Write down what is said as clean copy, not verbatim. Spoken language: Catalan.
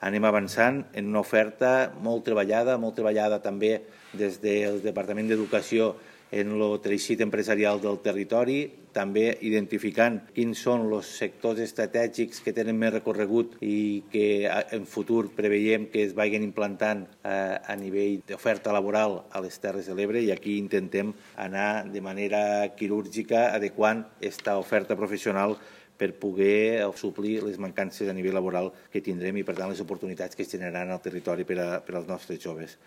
anem avançant en una oferta molt treballada també des del Departament d'Educació en el teixit empresarial del territori, també identificant quins són els sectors estratègics que tenen més recorregut i que en futur preveiem que es vagin implantant a nivell d'oferta laboral a les Terres de l'Ebre, i aquí intentem anar de manera quirúrgica adequant aquesta oferta professional per poder suplir les mancances a nivell laboral que tindrem i, per tant, les oportunitats que es generaran al territori per als nostres joves.